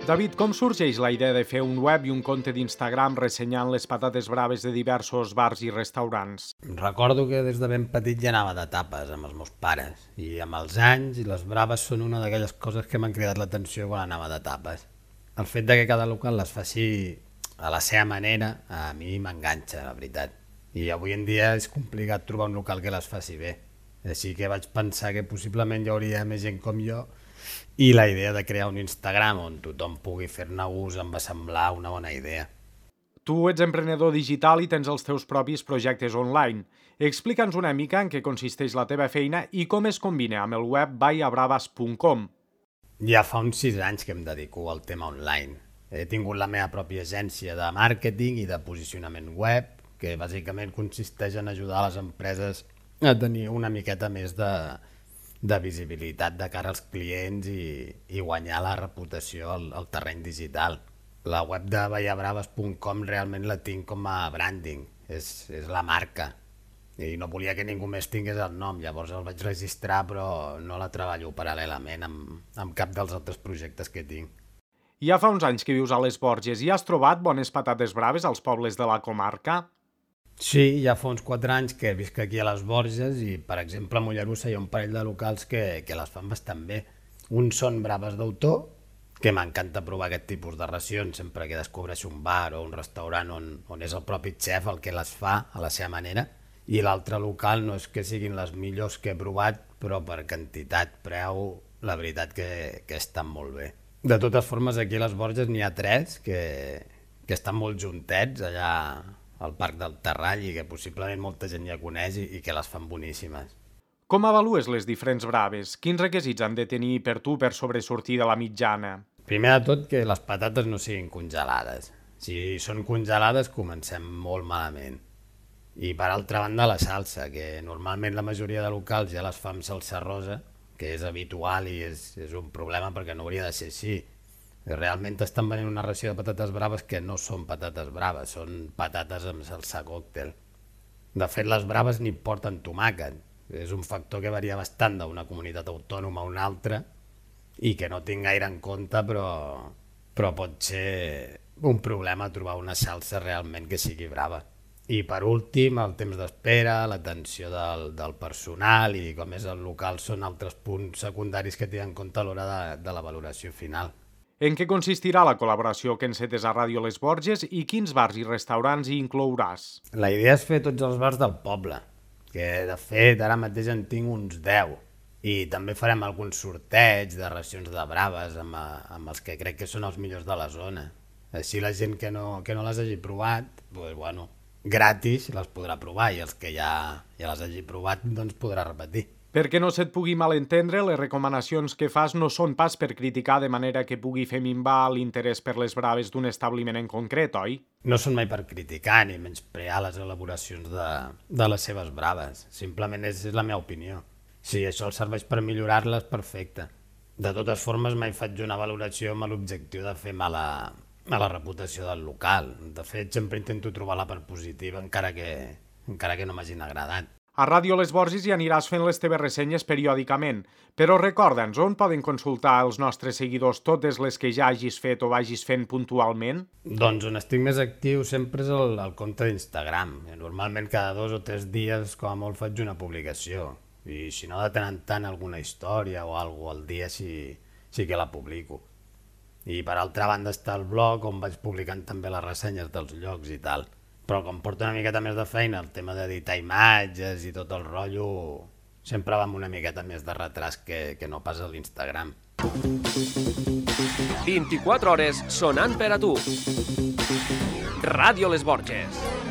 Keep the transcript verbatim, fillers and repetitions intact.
David, com sorgeix la idea de fer un web i un compte d'Instagram ressenyant les patates braves de diversos bars i restaurants? Recordo que des de ben petit ja anava de tapes amb els meus pares i amb els anys i les braves són una d'aquelles coses que m'han cridat l'atenció quan anava de tapes. El fet de que cada local les faci a la seva manera a mi m'enganxa, la veritat. I avui en dia és complicat trobar un local que les faci bé. Així que vaig pensar que possiblement hi hauria més gent com jo i la idea de crear un Instagram on tothom pugui fer-ne ús em va semblar una bona idea. Tu ets emprenedor digital i tens els teus propis projectes online. Explica'ns una mica en què consisteix la teva feina i com es combina amb el web vaya bravas punt com. Ja fa uns sis anys que em dedico al tema online. He tingut la meva pròpia agència de màrqueting i de posicionament web, que bàsicament consisteix en ajudar les empreses a tenir una miqueta més de, de visibilitat de cara als clients i, i guanyar la reputació al, al terreny digital. La web de vaya bravas punt com realment la tinc com a branding, és, és la marca. I no volia que ningú més tingués el nom, llavors el vaig registrar però no la treballo paral·lelament amb, amb cap dels altres projectes que tinc. Ja fa uns anys que vius a les Borges i has trobat bones patates braves als pobles de la comarca? Sí, ja fa uns quatre anys que visc aquí a les Borges i, per exemple, a Mollerussa hi ha un parell de locals que, que les fan bastant bé. Uns són braves d'autor, que m'encanta provar aquest tipus de racions sempre que descobreixo un bar o un restaurant on, on és el propi xef el que les fa a la seva manera, i l'altre local no és que siguin les millors que he provat, però per quantitat, preu, la veritat que, que estan molt bé. De totes formes, aquí a les Borges n'hi ha tres que, que estan molt juntets allà al Parc del Terrall i que possiblement molta gent ja coneix i, i que les fan boníssimes. Com avalues les diferents braves? Quins requisits han de tenir per tu per sobresortir de la mitjana? Primer de tot, que les patates no siguin congelades. Si són congelades, comencem molt malament. I per altra banda, la salsa, que normalment la majoria de locals ja les fa amb salsa rosa, que és habitual i és, és un problema perquè no hauria de ser així. Realment estan venent una ració de patates braves que no són patates braves, són patates amb salsa còctel. De fet, les braves ni porten tomàquet. És un factor que varia bastant d'una comunitat autònoma a una altra i que no tinc gaire en compte, però, però pot ser un problema trobar una salsa realment que sigui brava. I per últim, el temps d'espera, l'atenció del, del personal i com és el local són altres punts secundaris que tenen en compte a l'hora de, de la valoració final. En què consistirà la col·laboració que encetes a Ràdio Les Borges i quins bars i restaurants hi inclouràs? La idea és fer tots els bars del poble, que de fet ara mateix en tinc uns deu. I també farem alguns sorteig de racions de braves amb, amb els que crec que són els millors de la zona. Així la gent que no, que no les hagi provat, doncs, bueno, gratis les podrà provar i els que ja, ja les hagi provat doncs podrà repetir. Perquè no se't pugui malentendre, les recomanacions que fas no són pas per criticar de manera que pugui fer minvar l'interès per les braves d'un establiment en concret, oi? No són mai per criticar ni menysprear les elaboracions de, de les seves braves, simplement és, és la meva opinió. Si això els serveix per millorar-les, perfecte. De totes formes, mai faig una valoració amb l'objectiu de fer mala a la reputació del local. De fet, sempre intento trobar la part positiva, encara que, encara que no m'hagin agradat. A Ràdio Les Borges hi aniràs fent les teves ressenyes periòdicament, però recorda'ns on poden consultar els nostres seguidors totes les que ja hagis fet o vagis fent puntualment? Doncs on estic més actiu sempre és el, el compte d'Instagram. Normalment cada dos o tres dies com a molt faig una publicació i si no de tant en tant alguna història o alguna al dia sí, sí que la publico. I per altra banda està el blog on vaig publicant també les ressenyes dels llocs i tal. Però com porto una miqueta més de feina, el tema d'editar imatges i tot el rotllo, sempre va amb una miqueta més de retras que, que no pas a l'Instagram. vint-i-quatre hores sonant per a tu. Ràdio Les Borges.